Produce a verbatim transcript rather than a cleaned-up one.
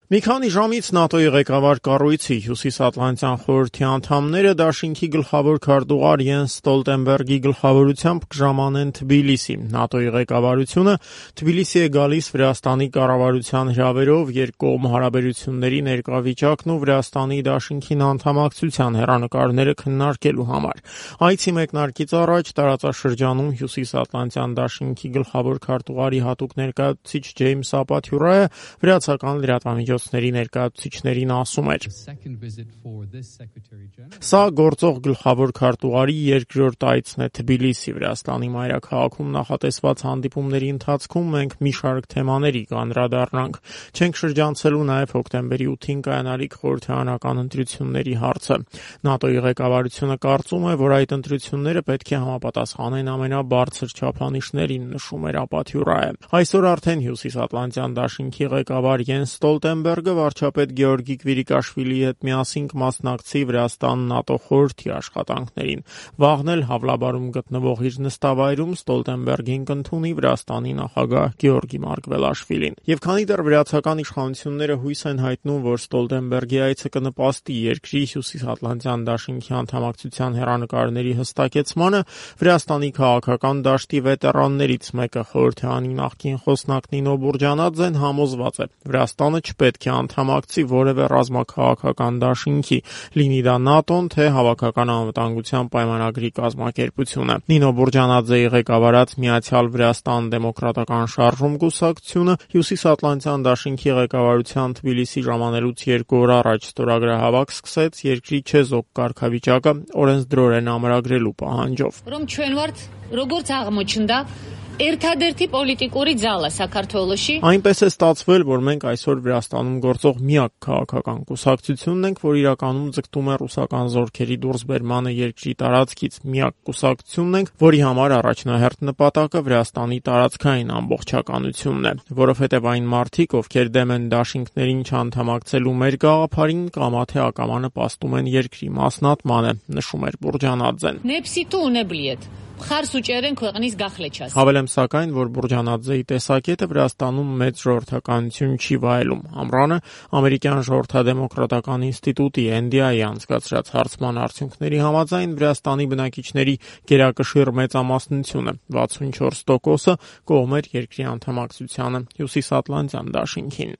Մի քանի ժամից ՆԱՏՕ-ի ղեկավար կառույցի Հյուսիսատլանտյան խորհրդի անդամները դաշինքի գլխավոր քարտուղար Յենս Ստոլտենբերգի գլխավորությամբ կժամանեն Թբիլիսի։ ՆԱՏՕ-ի ղեկավարությունը Թբիլիսի է գալիս Վրաստանի կառավարության հրավերով երկկողմ հարաբերությունների ներկա վիճակն ու Վրաստանի դաշինքին անդամակցության հեռանկարները քննարկելու համար։ Այցի մեկնարկից առաջ տարածաշրջանում Հյուսիսատլանտյան դաշինքի գլխավոր քարտուղարի հատուկ ներկայացուցիչ Ջեյմս Ապաթյուրայը վրացական լրատվամիջոցների ներկայացուցիչներին ասում էր. Սա գործող գլխավոր քարտուղարի երկրորդ այցն է Թբիլիսի։ Վրաստանի մայրաքաղաքում նախատեսված հանդիպումների ընթացքում մենք մի շարք թեմաների կանդրադառնանք։ Չենք շրջանցելու նաև հոկտեմբերի ութին կայանալիք խորհրդարանական ընտրությունների հարցը։ ՆԱՏՕ-ի ղեկավարությունը կարծում է, որ այդ ընտրությունները պետք է համապատասխանեն ամենաբարձր չափանիշներին, նշում էր Ապաթյուրայը։ Այսօր արդեն Հյուսիսատլանտյան դաշինքի ղեկավար Յենս Ստոլտենբերգը վարչապետ Գեորգի Կվիրիկաշվիլիի հետ միասին կմասնակցի Վրաստան-ՆԱՏՕ խորհրդի աշխատանքներին։ Վաղն էլ Հավլաբարում գտնվող իր նստավայրում Ստոլտենբերգին կընդունի Վրաստանի նախագահ Գեորգի Մարգվելաշվիլին։ Եվ քանի դեռ վրացական իշխանությունները հույս են հայտնում, որ Ստոլտենբերգի այցը կնպաստի երկրի Հյուսիսատլանտյան դաշինքի անդամակցության հեռանկարների հստակեցմանը, Վրաստանի քաղաքական դաշտի վետերաններից մեկը խորհրդարանի նախկին խոսնակ Նինո Բուրջանաձեն համոզված է, Վրաստանը չպետք է անդամակցի որևէ ռազմաքաղաքական դաշինքի, լինի դա ՆԱՏՕ-ն, թե Հավաքական անվտանգության պայմանագրի կազմակերպությունը։ Նինո Բուրջանաձեի ղեկավարած Միացյալ Վրաստան դեմոկրատական շարժում կուսակցությունը Հյուսիսատլանտյան դաշինքի ղեկավարության Թբիլիսի ժամանելուց երկու օր առաջ ստորագրահավաք սկսեց երկրի չեզոք կարգավիճակը օրենսդրորեն ամրագրելու պահանջով։ Ერთადერთի պոլիտիկური ձալը Սաքարթվելოში Այնպես է ստացվել, որ մենք այսօր Վրաստանում գործող միակ քաղաքական կուսակցությունն ենք, որ իրականում ձգտում է ռուսական զորքերի դուրսբերմանը երկրի տարածքից, միակ կուսակցությունն ենք, որի համար առաջնահերթ նպատակը Վրաստանի տարածքային ամբողջականությունն է, որովհետև այն մարդիկ, ովքեր դեմ են դաշինքներին չանդամակցելու մեր գաղափարին, կամա թե ակամա նպաստում են երկրի մասնատմանը, նշում էր Բուրջանաձեն։ Նեպսիտու ունեբլիետ Խարս ու ճերեն քողնից գախլեչաս։ Հավելեմ սակայն, որ Բուրջանաձեի տեսակետը Վրաստանում մեծ ժողովրդականություն չի վայելում։ Ամռանը ամերիկյան ժողովրդադեմոկրատական ինստիտուտի Էն Դի Այի անցկացրած հարցման արդյունքների համաձայն Վրաստանի բնակիչների գերակշիռ մեծամասնությունը վաթսունչորս տոկոսը կողմ էր երկրի անդամակցությանը Հյուսիսատլանտյան դաշինքին։